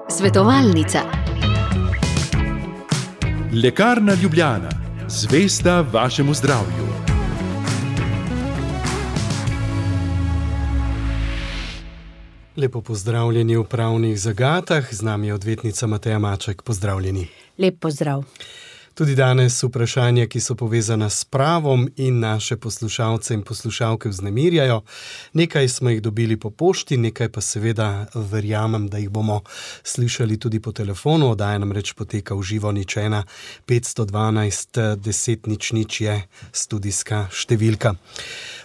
Svetovalnica. Lekarna Ljubljana. Zvesta vašemu zdravju. Lepo pozdravljeni v Pravnih zagatah. Z nami je odvetnica Mateja Maček. Pozdravljeni. Lep pozdrav. Tudi danes vprašanja, ki so povezana s pravom in naše poslušalce in poslušalke vznemirjajo. Nekaj smo jih dobili po pošti, nekaj pa seveda verjamem, da jih bomo slišali tudi po telefonu. Oddaja namreč poteka v živo, 1 512 10 00 je studijska številka.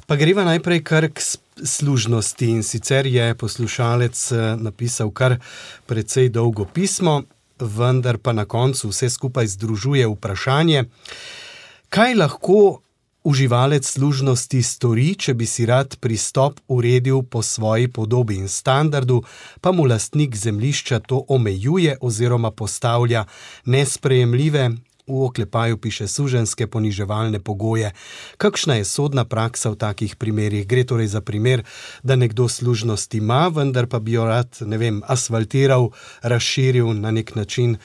Pa greva najprej kar k služnosti, in sicer je poslušalec napisal kar precej dolgo pismo, vendar pa na koncu vse skupaj združuje vprašanje, kaj lahko uživalec služnosti stori, če bi si rad pristop uredil po svoji podobi in standardu, pa mu lastnik zemljišča to omejuje oziroma postavlja nesprejemljive, v oklepaju piše suženjske poniževalne pogoje. Kakšna je sodna praksa v takih primerih? Gre torej za primer, da nekdo služnost ima, vendar pa bi jo rad, asfaltiral, razširil, na nek način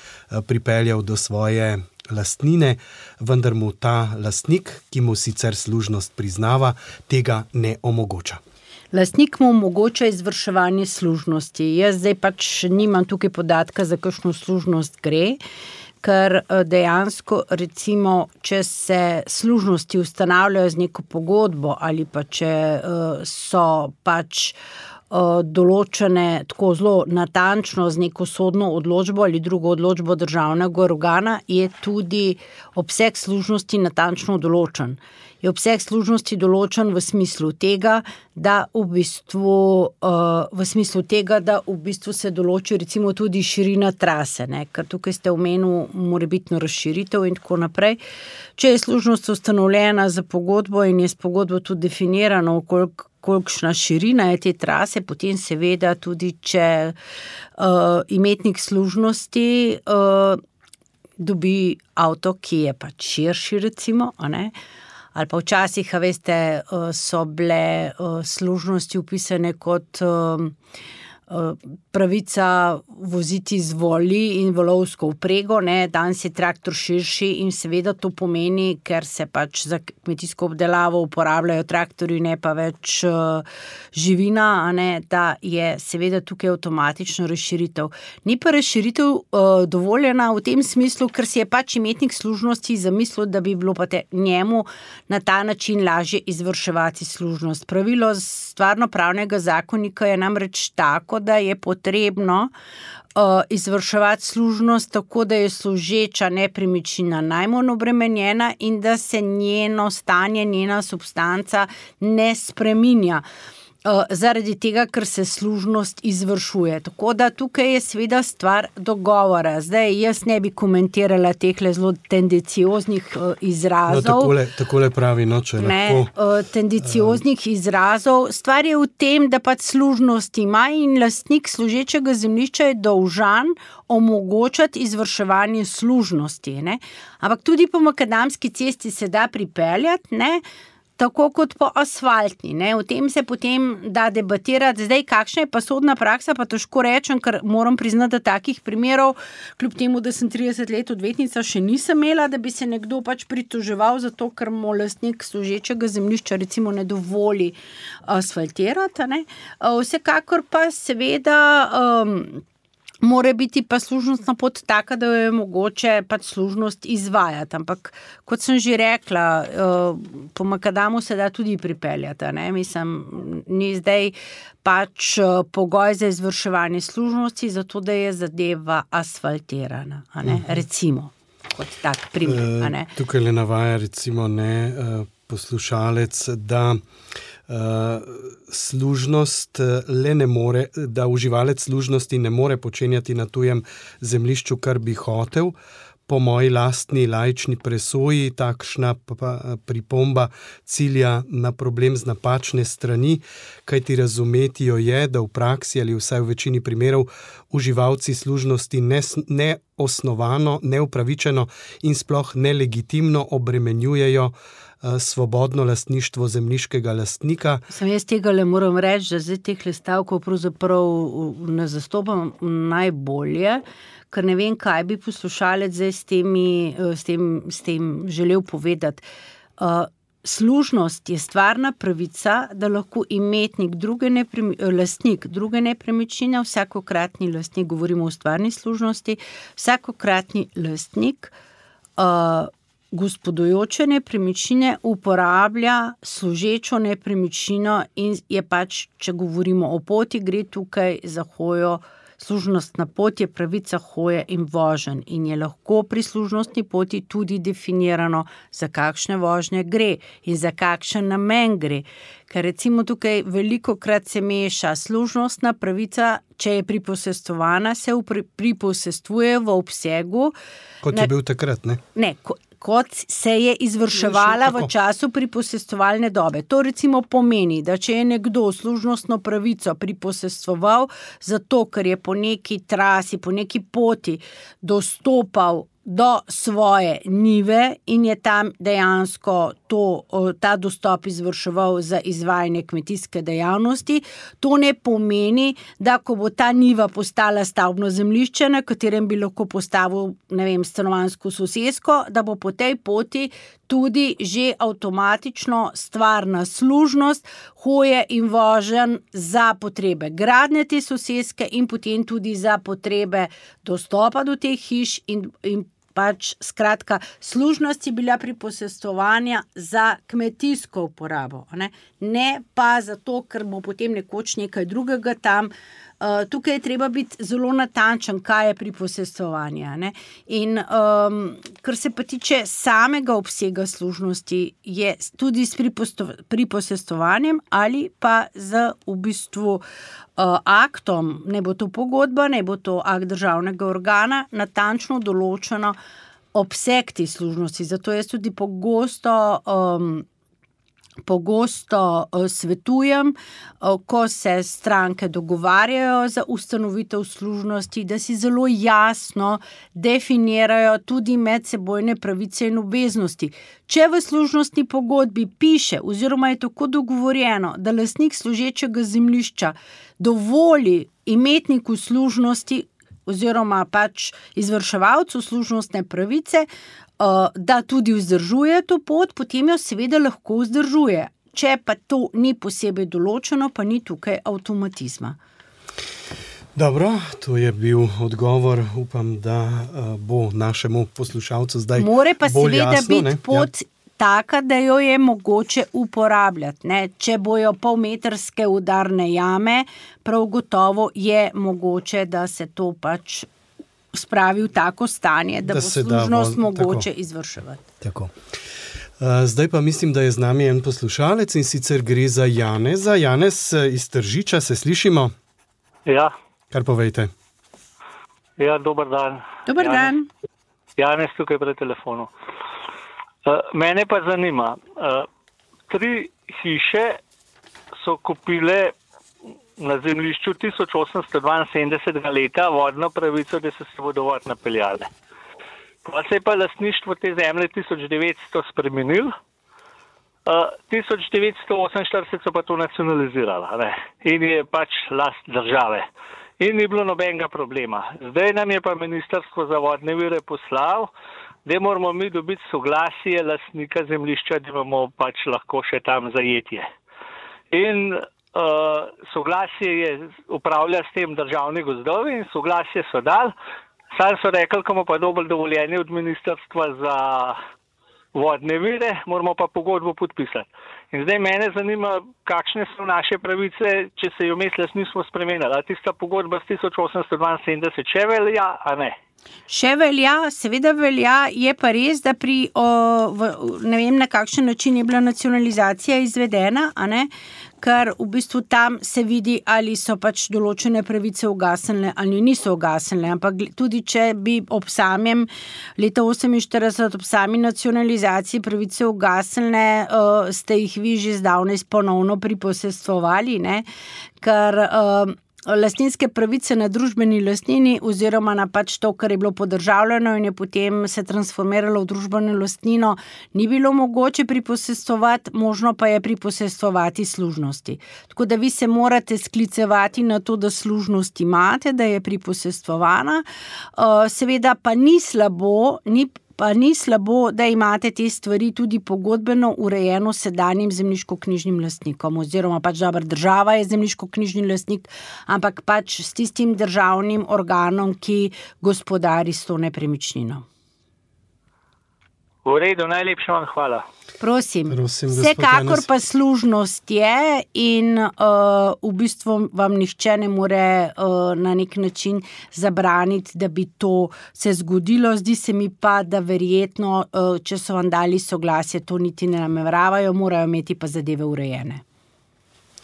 pripeljal do svoje lastnine, vendar mu ta lastnik, ki mu sicer služnost priznava, tega ne omogoča. Lastnik mu omogoča izvrševanje služnosti. Jaz zdaj nimam tukaj podatka, za kakšno služnost gre, ker dejansko, recimo, če se služnosti ustanavljajo z neko pogodbo ali pa če so določene tako zelo natančno z neko sodno odločbo ali drugo odločbo državnega organa, je tudi obseg služnosti natančno določen. Je obseg služnosti določen v smislu tega, da v bistvu se določi recimo tudi širina trase, ne? Ker tukaj ste omenil morebitno razširitev in tako naprej. Če je služnost ustanovljena za pogodbo in je s pogodbo tudi definirano, kolikšna širina je te trase, potem seveda tudi, če imetnik služnosti dobi avto, ki je širši recimo, a ne? Ali pa včasih, so bile služnosti upisane kot pravica voziti z voli in volovsko vprego, ne, danes je traktor širši in seveda to pomeni, ker se za kmetijsko obdelavo uporabljajo traktorji, ne pa več živina, a ne, da je seveda tukaj avtomatično razširitev. Ni pa razširitev dovoljena v tem smislu, ker si je imetnik služnosti zamislil, da bi bilo pa njemu na ta način lažje izvrševati služnost. Pravilo stvarno-pravnega zakonika je namreč tako, da je potrebno izvrševati služnost tako, da je služeča nepremičnina najmanj obremenjena in da se njeno stanje, njena substanca ne spreminja. Zaradi tega, ker se služnost izvršuje. Tako da tukaj je seveda stvar dogovora. Zdaj, jaz ne bi komentirala tehle zelo tendencioznih izrazov. No, takole pravi, če lahko. Tendencioznih izrazov. Stvar je v tem, da služnost ima in lastnik služečega zemljišča je dolžan omogočati izvrševanje služnosti, ne? Ampak tudi po makadamski cesti se da pripeljati, ne? Tako kot po asfaltni, ne? O tem se potem da debatirati. Zdaj, kakšna je pa sodna praksa, pa težko rečem, ker moram priznati, da takih primerov, kljub temu, da sem 30 let odvetnica, še nisem imela, da bi se nekdo pritoževal zato, ker mu lastnik služečega zemljišča recimo ne dovoli asfaltirati, ne? Vsekakor pa seveda mora biti pa služnostna pot taka, da jo je mogoče služnost izvajati. Ampak, kot sem že rekla, po makadamu se da tudi pripeljati, ne? Ni zdaj pogoj za izvrševanje služnosti, zato da je zadeva asfaltirana, a ne? Recimo, kot tak primer, a ne? Tukaj le navaja recimo poslušalec, da služnost da uživalec služnosti ne more počenjati na tujem zemljišču, kar bi hotel. Po moji lastni laični presoji takšna pripomba cilja na problem z napačne strani, kajti razumeti jo je, da v praksi ali vsaj v večini primerov uživalci služnosti ne neosnovano, neupravičeno in sploh nelegitimno obremenjujejo svobodno lastništvo zemljiškega lastnika. Jaz tega le moram reči, da zdaj teh stavkov pravzaprav ne zastopam najbolje, ker ne vem, kaj bi poslušalec zdaj s tem želel povedati. Služnost je stvarna pravica, da lahko imetnik lastnik druge nepremičnine, vsakokratni lastnik, govorimo o stvarni služnosti, vsakokratni lastnik gospodujoče nepremičnine uporablja služečo nepremičnino in je pač, če govorimo o poti, gre tukaj za hojo. Služnostna pot je pravica hoje in voženj in je lahko pri služnostni poti tudi definirano, za kakšne vožnje gre in za kakšen namen gre. Ker recimo tukaj velikokrat se meša služnostna pravica, če je priposestvovana, se priposestvuje v obsegu. Kot je bil takrat, ne? Ne, kot se je izvrševala v času priposestovalne dobe. To recimo pomeni, da če je nekdo služnostno pravico priposestvoval zato, ker je po neki trasi, po neki poti dostopal do svoje njive in je tam dejansko ta dostop izvrševal za izvajanje kmetijske dejavnosti. To ne pomeni, da ko bo ta njiva postala stavbno zemljišče, na katerem bi lahko postavil, stanovanjsko sosesko, da bo po tej poti tudi že avtomatično stvarna služnost hoje in voženj za potrebe gradnje te soseske in potem tudi za potrebe dostopa do teh hiš in pač skratka, služnost je bila priposestvovanja za kmetijsko uporabo, ne pa zato, ker bo potem nekoč nekaj drugega tam. Tukaj je treba biti zelo natančen, kaj je priposestvovanje. In kar se pa tiče samega obsega služnosti, je tudi s priposestvovanjem ali pa z v bistvu aktom, ne bo to pogodba, ne bo to akt državnega organa, natančno določeno obseg te služnosti. Zato jaz tudi pogosto svetujem, ko se stranke dogovarjajo za ustanovitev služnosti, da si zelo jasno definirajo tudi medsebojne pravice in obveznosti. Če v služnostni pogodbi piše oziroma je tako dogovorjeno, da lastnik služečega zemljišča dovoli imetniku služnosti oziroma pač izvrševalcu služnostne pravice, da tudi vzdržuje to pot, potem jo seveda lahko vzdržuje. Če pa to ni posebej določeno, pa ni tukaj avtomatizma. Dobro, to je bil odgovor. Upam, da bo našemu poslušalcu zdaj bolj jasno. More pa seveda biti pot taka, da jo je mogoče uporabljati. Če bojo polmetrske udarne jame, prav gotovo je mogoče, da se to pač spravi v tako stanje, da bo služnost mogoče izvrševati. Tako. Zdaj pa mislim, da je z nami en poslušalec in sicer gre za Janeza. Janez iz Tržiča, se slišimo? Ja. Kar povejte. Ja, dober dan. Dober dan. Janez tukaj pred telefonu. Mene pa zanima, 3 hiše so kupile na zemljišču 1872 leta vodno pravico, da so se vodovod napeljale. Pa se je pa lastništvo te zemlje 1900 spremenil, 1948 so pa to nacionalizirali, in je pač last države. In ni bilo nobenega problema. Zdaj nam je pa Ministrstvo za vodne vire poslal, da moramo mi dobiti soglasje lastnika zemljišča, da imamo pač lahko še tam zajetje. In soglasje je upravlja s tem državni gozdovi in soglasje so dali. Sam so rekli, ko bomo pa dobili dovoljenje od Ministrstva za vodne vire, moramo pa pogodbo podpisati. In zdaj mene zanima, kakšne so naše pravice, če se jo vmes nismo spremenili. A tista pogodba z 1872 še velja, a ne? Še velja, seveda velja, je pa res, da ne vem, na kakšen način je bila nacionalizacija izvedena, a ne? Ker v bistvu tam se vidi, ali so pač določene pravice ugasnile ali niso ugasnile, ampak tudi če bi ob samem leta 1948 ob sami nacionalizaciji pravice ugasnile, ste jih vi že zdavnaj ponovno priposestvovali, ne? Ker lastninske pravice na družbeni lastnini oziroma na pač to, kar je bilo podržavljeno in je potem se transformiralo v družbeno lastnino, ni bilo mogoče priposestovati, možno pa je priposestovati služnosti. Tako da vi se morate sklicevati na to, da služnost imate, da je priposestovana. Seveda pa ni slabo, da imate te stvari tudi pogodbeno urejeno s sedanjim zemljiškoknjižnim lastnikom, oziroma pač država je zemljiškoknjižni lastnik, ampak pač s tistim državnim organom, ki gospodari s to nepremičnino. V redu, najlepša vam hvala. Prosim vsekakor pa služnost je in v bistvu vam nihče ne more na nek način zabraniti, da bi to se zgodilo. Zdi se mi pa, da verjetno, če so vam dali soglasje, to niti ne nameravajo, morajo imeti pa zadeve urejene.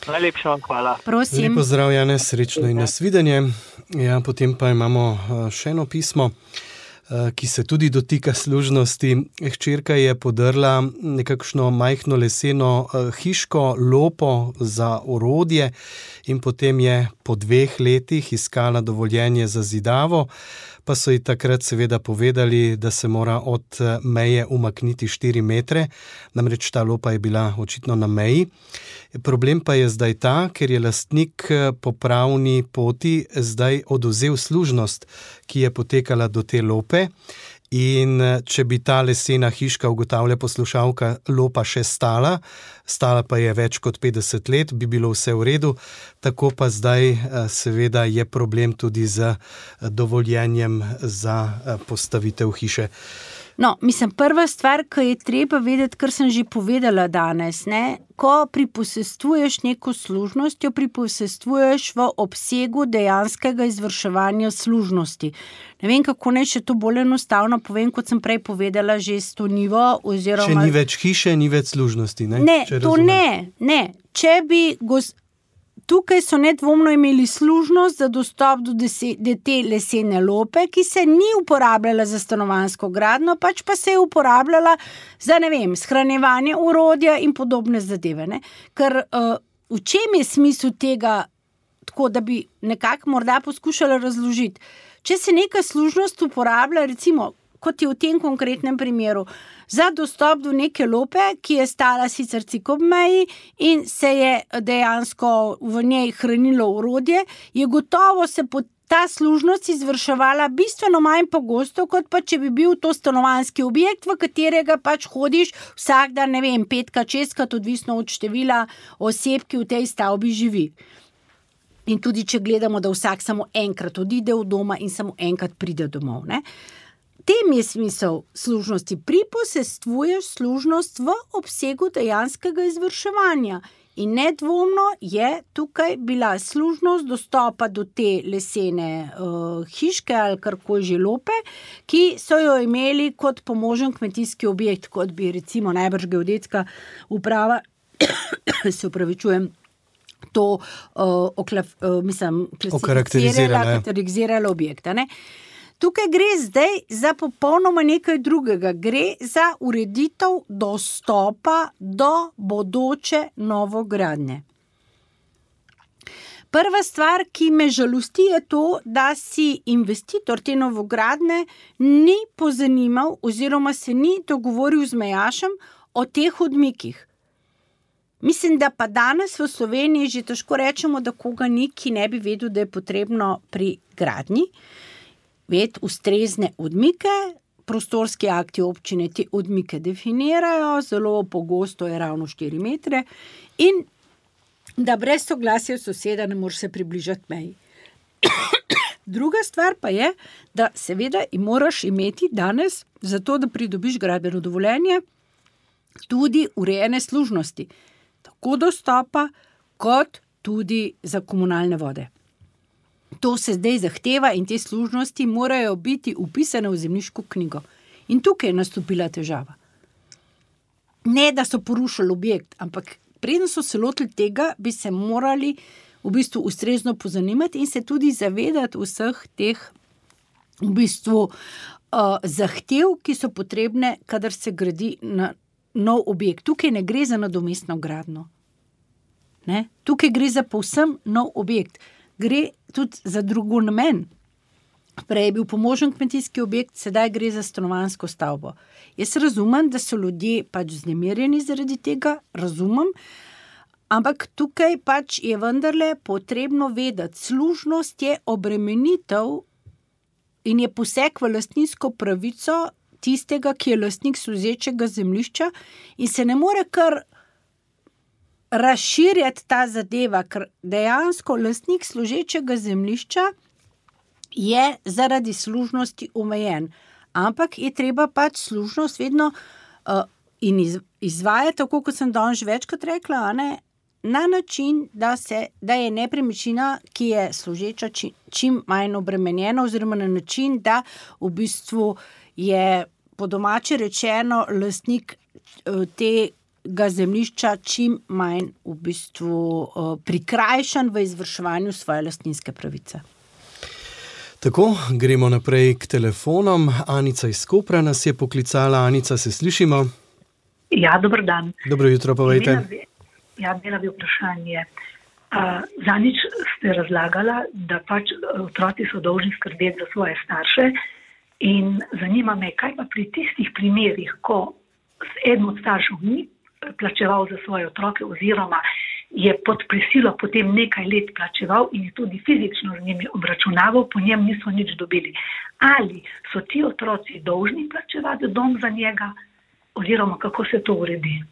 Najlepša vam hvala. Prosim. Lepo zdrav, Janez, srečno in nasvidenje. Ja, potem pa imamo še eno pismo, ki se tudi dotika služnosti. Hčerka je podrla nekakšno majhno leseno hiško, lopo za orodje in potem je po 2 letih iskala dovoljenje za zidavo, pa so ji takrat seveda povedali, da se mora od meje umakniti 4 metre, namreč ta lopa je bila očitno na meji. Problem pa je zdaj ta, ker je lastnik po pravni poti zdaj odvzel služnost, ki je potekala do te lope, in če bi ta lesena hiška, ugotavlja poslušalka, lopa še stala pa je več kot 50 let, bi bilo vse v redu, tako pa zdaj seveda je problem tudi z dovoljenjem za postavitev hiše. No, mislim, prva stvar, ki je treba vedeti, kar sem že povedala danes, ne, ko priposestvuješ neko služnost, jo priposestvuješ v obsegu dejanskega izvrševanja služnosti. Ne vem, kako naj še to bolj enostavno povem, kot sem prej povedala, že s to nivo, oziroma... Če ni več hiše, ni več služnosti, ne? Ne, to ne. Če bi... Tukaj so nedvomno imeli služnost za dostop do te lesene lope, ki se ni uporabljala za stanovanjsko gradnjo, pač pa se je uporabljala za, ne vem, shranjevanje orodja in podobne zadeve. Ne? Ker v čem je smisel tega, tako da bi nekako morda poskušala razložiti? Če se neka služnost uporablja, recimo, kot je v tem konkretnem primeru, za dostop do neke lope, ki je stala sicer cik ob meji in se je dejansko v njej hranilo orodje, je gotovo se ta služnost izvrševala bistveno manj pogosto, kot pa če bi bil to stanovanjski objekt, v katerega pač hodiš vsak dan, ne vem, 5-krat, 6-krat, odvisno od števila oseb, ki v tej stavbi živi. In tudi, če gledamo, da vsak samo enkrat odide od doma in samo enkrat pride domov, ne? Tem je smisel služnosti. Priposestvuješ služnost v obsegu dejanskega izvrševanja. In nedvomno je tukaj bila služnost dostopa do te lesene hiške ali karkoli že lope, ki so jo imeli kot pomožen kmetijski objekt, kot bi recimo najbrž geodetska uprava, se opravičujem, to karakterizirala objekta, ne? Tukaj gre zdaj za popolnoma nekaj drugega. Gre za ureditev dostopa do bodoče novogradnje. Prva stvar, ki me žalosti, je to, da si investitor te novogradnje ni pozanimal oziroma se ni dogovoril z mejašem o teh odmikih. Mislim, da pa danes v Sloveniji že težko rečemo, da koga ni, ki ne bi vedel, da je potrebno pri gradnji ustrezne odmike. Prostorski akti občine te odmike definirajo, zelo pogosto je ravno 4 metre in da brez soglasja soseda ne moreš se približati meji. Druga stvar pa je, da seveda moraš imeti danes, zato da pridobiš gradbeno dovoljenje, tudi urejene služnosti, tako dostopa kot tudi za komunalne vode. To se zdaj zahteva in te služnosti morajo biti vpisane v zemljiško knjigo. In tukaj je nastopila težava. Ne, da so porušili objekt, ampak preden so se lotili tega, bi se morali v bistvu ustrezno pozanimati in se tudi zavedati vseh teh v bistvu zahtev, ki so potrebne, kadar se gradi na nov objekt. Tukaj ne gre za nadomestno gradnjo. Ne? Tukaj gre za povsem nov objekt. gre tudi za drugo namen. Prej je bil pomožen kmetijski objekt, sedaj gre za stanovanjsko stavbo. Jaz razumem, da so ljudje pač vznemirjeni zaradi tega, razumem, ampak tukaj pač je vendarle potrebno vedeti, služnost je obremenitev in je poseg v lastninsko pravico tistega, ki je lastnik služečega zemljišča in se ne more kar razširjati ta zadeva, ker dejansko lastnik služečega zemljišča je zaradi služnosti omejen. Ampak je treba pač služnost vedno in izvajati, tako kot sem danes že večkrat rekla, na način, da je nepremičnina, ki je služeča, čim manj obremenjena, oziroma na način, da v bistvu je po domače rečeno lastnik tega zemljišča čim manj v bistvu prikrajšan v izvrševanju svoje lastninske pravice. Tako, gremo naprej k telefonom. Anica iz Kopra nas je poklicala. Anica, se slišimo? Ja, dober dan. Dobro jutro, povejte. Imela bi vprašanje. Zanič ste razlagala, da pač otroci so dolžni skrbeti za svoje starše in zanima me, kaj pa pri tistih primerih, ko eden od staršev ni plačeval za svoje otroke oziroma je pod prisilo potem nekaj let plačeval in je tudi fizično z njimi obračunaval, po njem niso nič dobili. Ali so ti otroci dolžni plačevati dom za njega oziroma kako se to uredi?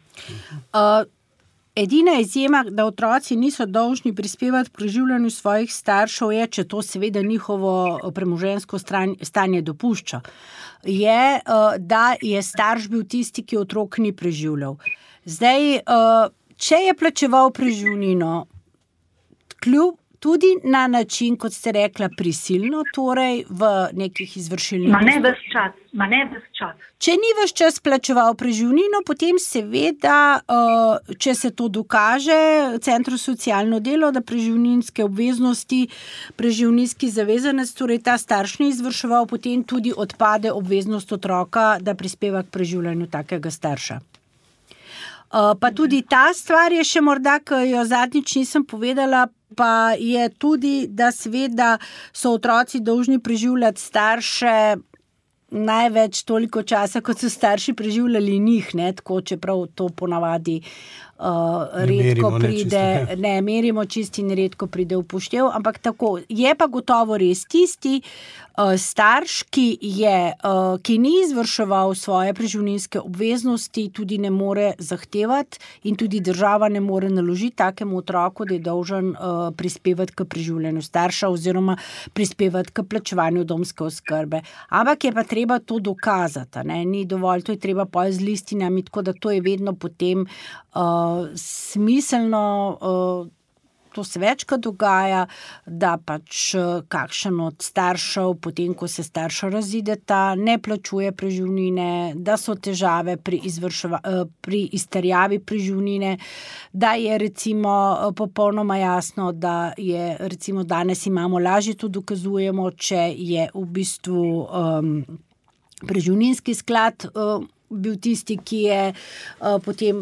Edina izjema, da otroci niso dolžni prispevati k preživljanju svojih staršev, je, če to seveda njihovo premoženjsko stanje dopušča, je, da je starš bil tisti, ki otrok ni preživljal. Zdaj, če je plačeval preživnino, tudi na način, kot ste rekla, prisilno, torej v nekih izvršilnih... Ma ne ves čas. Če ni ves čas plačeval preživnino, potem seveda, če se to dokaže, Centru socialno delo, da preživninske obveznosti, preživninski zavezanec, torej ta starš ni izvrševal, potem tudi odpade obveznost otroka, da prispeva k preživljanju takega starša. Pa tudi ta stvar je še morda, ki jo zadnjič nisem povedala, pa je tudi, da seveda so otroci dolžni preživljati starše največ toliko časa, kot so starši preživljali njih, tako čeprav to ponavadi redko pride, ne merimo čisti in redko pride v poštev, ampak tako, je pa gotovo res tisti starš, ki ni izvrševal svoje preživninske obveznosti, tudi ne more zahtevati in tudi država ne more naložiti takemu otroku, da je dolžan prispevati k preživljanju starša oziroma prispevati k plačevanju domske oskrbe. Ampak je pa treba to dokazati, ni dovolj, to je treba potem z listinami, tako da to je vedno potem smiselno, to se večkrat dogaja, da pač kakšen od staršev, potem ko se starša razideta, ne plačuje preživnine, da so težave pri izterjavi preživnine, da je recimo popolnoma jasno, da je recimo danes imamo lažje to dokazujemo, če je v bistvu preživninski sklad bil tisti, ki je potem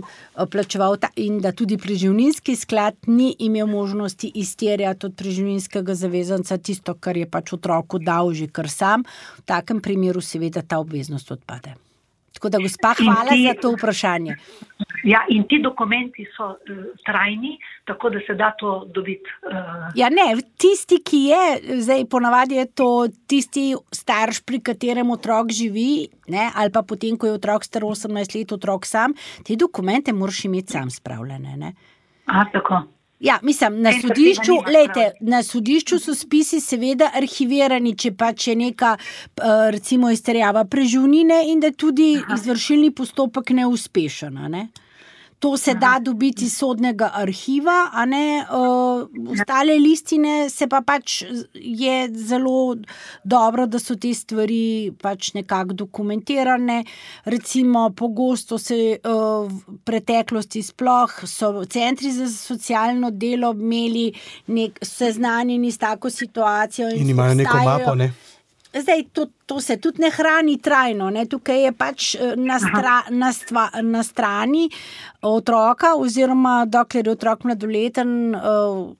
plačeval in da tudi preživninski sklad ni imel možnosti izterjati od preživninskega zavezanca tisto, kar je pač otroku dal že kar sam. V takem primeru seveda ta obveznost odpade. Tako da, gospa, hvala za to vprašanje. Ja, in ti dokumenti so trajni, tako da se da to dobiti. Ja, ne, tisti, ki je, zdaj ponavadi je to tisti starš, pri katerem otrok živi, ali pa potem, ko je otrok star 18 let, otrok sam, te dokumente moraš imeti sam spravljene. Tako. Ja, mislim, na sodišču so spisi seveda arhivirani, če pač je neka, recimo, izterjava preživnine in da tudi izvršilni postopek neuspešen, To se da dobiti iz sodnega arhiva, ostale listine se pa pač je zelo dobro, da so te stvari pač nekako dokumentirane. Recimo, pogosto se v preteklosti sploh so centri za socialno delo imeli seznanjeni s tako situacijo. In imajo neko mapo, Zdaj, to se tudi ne hrani trajno, ne? Tukaj je pač na strani otroka, oziroma dokler je otrok mladoleten,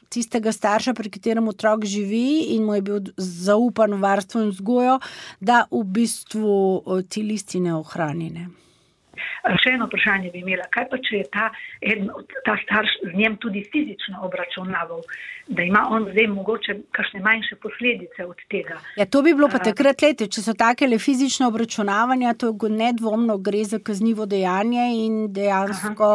tistega starša, pri katerem otrok živi in mu je bil zaupan varstvo in vzgojo, da v bistvu ti listine ohrani, ne. Še eno vprašanje bi imela. Kaj pa, če je ta starš z njem tudi fizično obračunaval, da ima on zdaj mogoče kakšne manjše posledice od tega? Ja, to bi bilo pa takrat, če so takele fizične obračunavanja, to nedvomno gre za kaznivo dejanje in dejansko,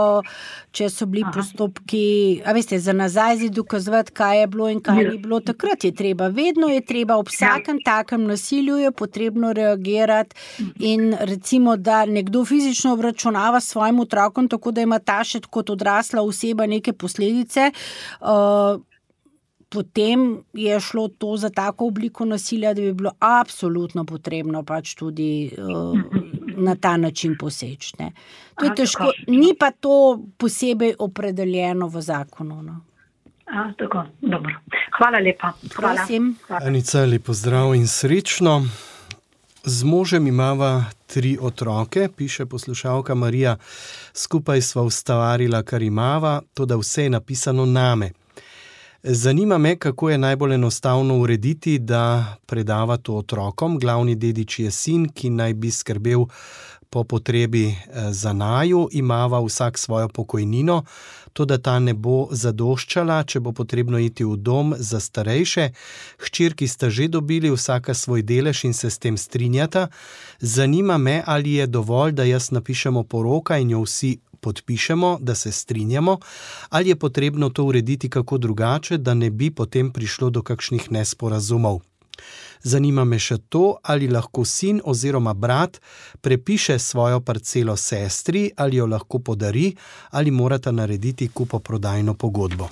če so bili postopki, za nazaj dokazovati, kaj je bilo in kaj ni bilo, takrat vedno je treba ob vsakem takem nasilju je potrebno reagirati in recimo, da nekdo fizično obračunava s svojim otrokom, tako da ima ta še kot odrasla oseba neke posledice, potem je šlo to za tako obliko nasilja, da bi bilo absolutno potrebno pač tudi na ta način poseči. To je težko, ni pa to posebej opredeljeno v zakonu. No. Tako, dobro. Hvala lepa. Prosim. Anica, lep pozdrav in srečno. Z možem imava 3 otroke, piše poslušalka Marija. Skupaj sva ustvarila, kar imava, toda vse je napisano name. Zanima me, kako je najbolj enostavno urediti, da predava to otrokom. Glavni dedič je sin, ki naj bi skrbel po potrebi za naju. Imava vsak svojo pokojnino, toda ta ne bo zadoščala, če bo potrebno iti v dom za starejše. Hčerki sta že dobili vsaka svoj delež in se s tem strinjata. Zanima me, ali je dovolj, da jaz napišemo poroka in jo vsi podpišemo, da se strinjamo, ali je potrebno to urediti kako drugače, da ne bi potem prišlo do kakšnih nesporazumov. Zanima me še to, ali lahko sin oziroma brat prepiše svojo parcelo sestri, ali jo lahko podari, ali morata narediti kupoprodajno pogodbo.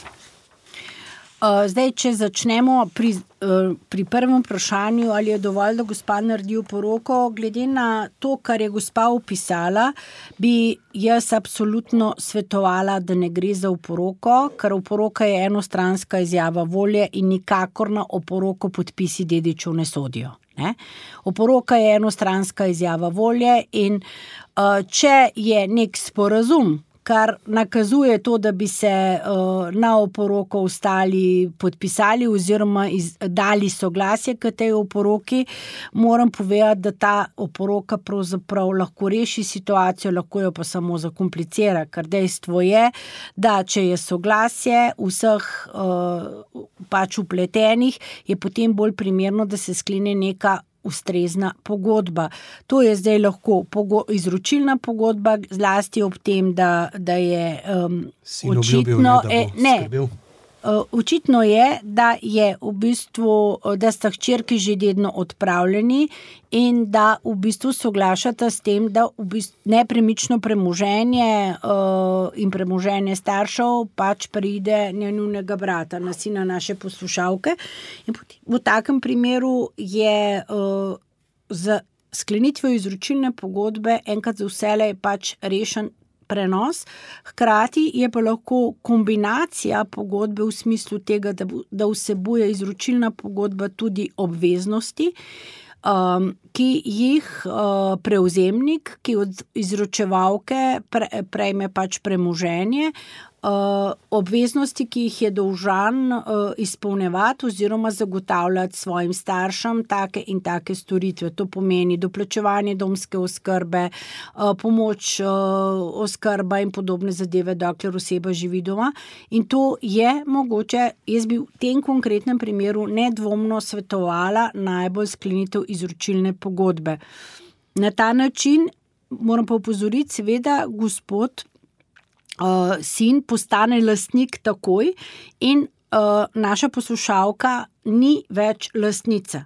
Zdaj, če začnemo pri prvem vprašanju, ali je dovolj, da gospa naredi poroko, glede na to, kar je gospa opisala, bi jaz absolutno svetovala, da ne gre za oporoko, ker oporoka je enostranska izjava volje in nikakor na oporoko podpisi dedičev ne sodijo. Ne? Oporoka je enostranska izjava volje in če je nek sporazum, kar nakazuje to, da bi se na oporoko ostali podpisali oziroma dali soglasje k tej oporoki, moram povedati, da ta oporoka pravzaprav lahko reši situacijo, lahko jo pa samo zakomplicira, ker dejstvo je, da če je soglasje vseh pač vpletenih, je potem bolj primerno, da se sklene neka ustrezna pogodba. To je zdaj lahko izročilna pogodba, zlasti ob tem, da je očitno... Očitno je, da je v bistvu, da sta hčerki že dedno odpravljeni in da v bistvu soglašata s tem, da v bistvu nepremično premoženje in premoženje staršev pač pride njunega brata, na sina naše poslušalke. In v takem primeru je z sklenitvijo izročilne pogodbe enkrat za vselej pač rešen prenos, hkrati je pa lahko kombinacija pogodbe v smislu tega, da vsebuje izročilna pogodba tudi obveznosti, ki jih prevzemnik, ki od izročevalke prejme pač premoženje, obveznosti, ki jih je dolžan izpolnjevati oziroma zagotavljati svojim staršem take in take storitve. To pomeni doplačevanje domske oskrbe, pomoč oskrba in podobne zadeve, dokler oseba živi doma. In to je mogoče, jaz bi v tem konkretnem primeru nedvomno svetovala najbolj sklenitev izročilne pogodbe. Na ta način moram pa opozoriti, seveda, gospod sin postane lastnik takoj in naša poslušalka ni več lastnica.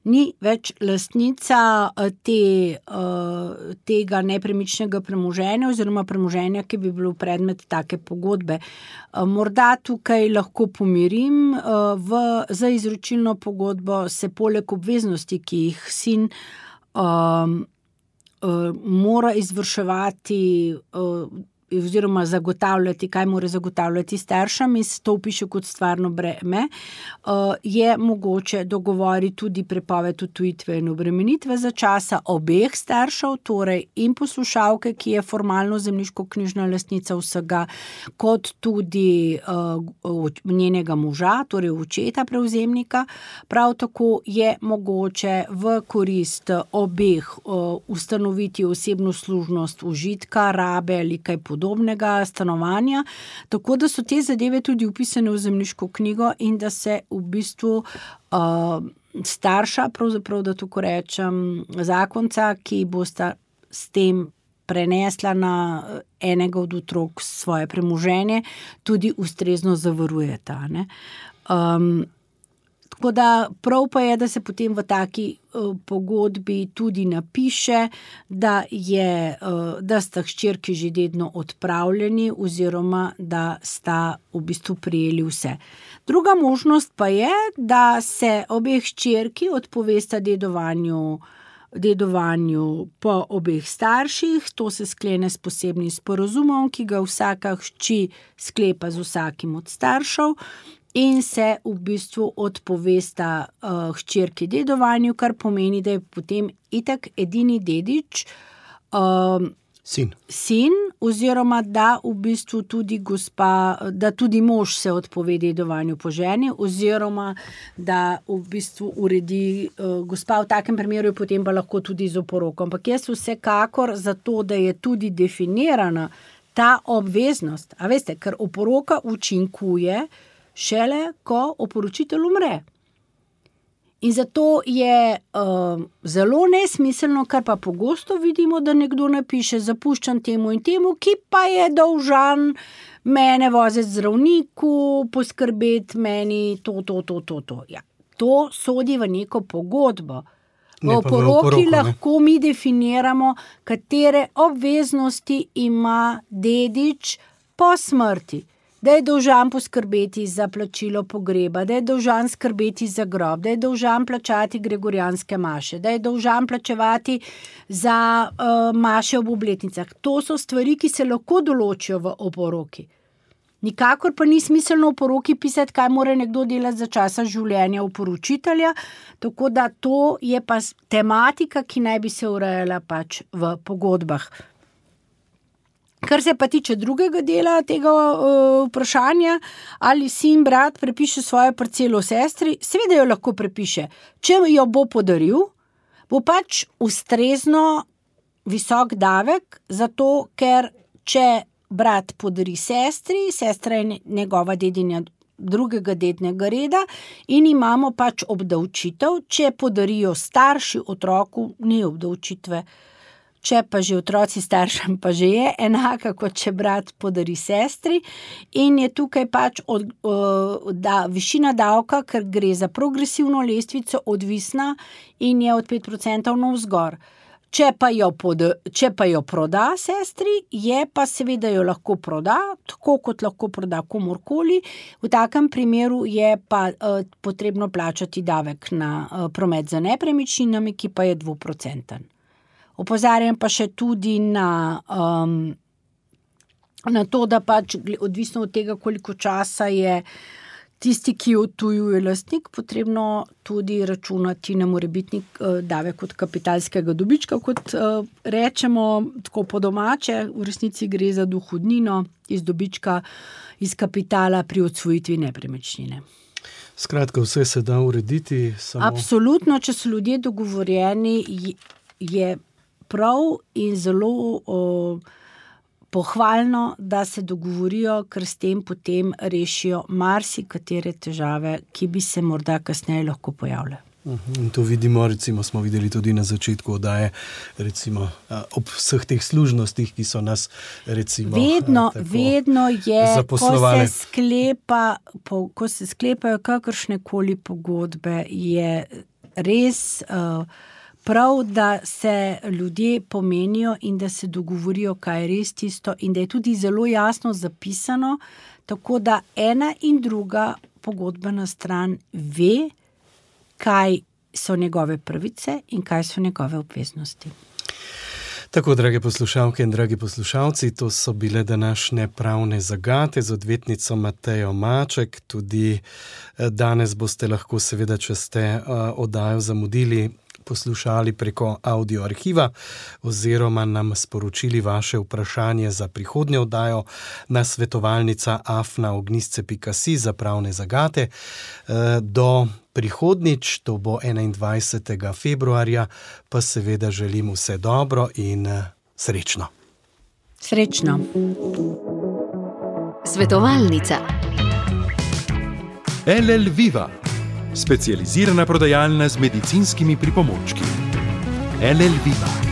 Ni več lastnica tega nepremičnega premoženja oziroma premoženja, ki bi bilo predmet take pogodbe. Morda tukaj lahko pomirim, za izročilno pogodbo se poleg obveznosti, ki jih sin mora izvrševati oziroma zagotavljati, kaj mora zagotavljati staršem in se to vpiše kot stvarno breme, je mogoče dogovoriti tudi prepoved odtujitve in obremenitve za časa obeh staršev, torej in poslušalke, ki je formalno zemljiško-knjižna lastnica vsega, kot tudi njenega moža, torej očeta prevzemnika. Prav tako je mogoče v korist obeh ustanoviti osebno služnost užitka, rabe ali kaj podobnega, stanovanja, tako da so te zadeve tudi vpisane v zemljiško knjigo in da se v bistvu starša, pravzaprav da tako rečem, zakonca, ki bosta s tem prenesla na enega od otrok svoje premoženje, tudi ustrezno zavarujeta, ne. Tako da prav pa je, da se potem v taki pogodbi tudi napiše, da sta hčerki že dedno odpravljeni oziroma da sta v bistvu prijeli vse. Druga možnost pa je, da se obeh hčerki odpovesta dedovanju po obeh starših. To se sklene s posebnim sporazumom, ki ga vsaka hči sklepa z vsakim od staršev. In se v bistvu odpovesta hčerki dedovanju, kar pomeni, da je potem itak edini dedič sin, oziroma da v bistvu tudi da tudi mož se odpove dedovanju po ženi, oziroma da v bistvu uredi gospa, v takem primeru je potem pa lahko tudi z oporokom. Ampak jaz vsekakor zato, da je tudi definirana ta obveznost, a veste, ker oporoka učinkuje šele, ko oporočitelj umre. In zato je zelo nesmiselno, kar pa pogosto vidimo, da nekdo napiše, zapuščam temu in temu, ki pa je dolžan mene voziti zdravniku, poskrbeti meni to. Ja, to sodi v neko pogodbo. V oporoki lahko mi definiramo, katere obveznosti ima dedič po smrti. Da je dolžan poskrbeti za plačilo pogreba, da je dolžan skrbeti za grob, da je dolžan plačati gregorijanske maše, da je dolžan plačevati za maše ob obletnicah. To so stvari, ki se lahko določijo v oporoki. Nikakor pa ni smiselno v oporoki pisati, kaj mora nekdo delati za časa življenja oporočitelja, tako da to je pa tematika, ki naj bi se urejala pač v pogodbah. Kar se pa tiče drugega dela tega vprašanja, ali sin, brat prepiše svojo parcelo sestri, seveda jo lahko prepiše. Če jo bo podaril, bo pač ustrezno visok davek, zato ker če brat podari sestri, sestra je njegova dedinja drugega dednega reda in imamo pač obdavčitev, če podarijo starši otroku, ni obdavčitve. Če pa že otroci staršem, pa že je enaka, kot če brat podari sestri, in je tukaj pač višina davka, ker gre za progresivno lestvico, odvisna in je od 5% navzgor. Če pa jo proda sestri, je pa seveda jo lahko proda, tako kot lahko proda komorkoli. V takem primeru je pa potrebno plačati davek na promet za nepremičninami, ki pa je 2%. Opozarjam pa še tudi na to, da pač odvisno od tega, koliko časa je tisti, ki odtujuje lastnik, potrebno tudi računati na morebitni davek od kapitalskega dobička, kot rečemo tako po domače, v resnici gre za dohodnino iz dobička, iz kapitala pri odsvojitvi nepremičnine. Skratka, vse se da urediti. Absolutno, če so ljudje dogovorjeni, je prav in zelo pohvalno, da se dogovorijo, ker s tem potem rešijo marsikatere težave, ki bi se morda kasneje lahko pojavile. In to vidimo, recimo smo videli tudi na začetku oddaje, recimo ob vseh teh služnostih, ki so nas recimo vedno je, zaposlovali. Ko se sklepajo kakršnekoli pogodbe, je res prav, da se ljudje pomenijo in da se dogovorijo, kaj je res tisto, in da je tudi zelo jasno zapisano, tako da ena in druga pogodbena stran ve, kaj so njegove pravice in kaj so njegove obveznosti. Tako, drage poslušalke in dragi poslušalci, to so bile današnje pravne zagate z odvetnico Matejo Maček. Tudi danes boste lahko, seveda, če ste oddajo zamudili, poslušali preko audio arhiva oziroma nam sporočili vaše vprašanje za prihodnjo oddajo na svetovalnica@ognisce.si za pravne zagate. Do prihodnjič, to bo 21. februarja, pa seveda želim vse dobro in srečno. Srečno. Svetovalnica. LL Viva, specializirana prodajalna z medicinskimi pripomočki. LL Viva.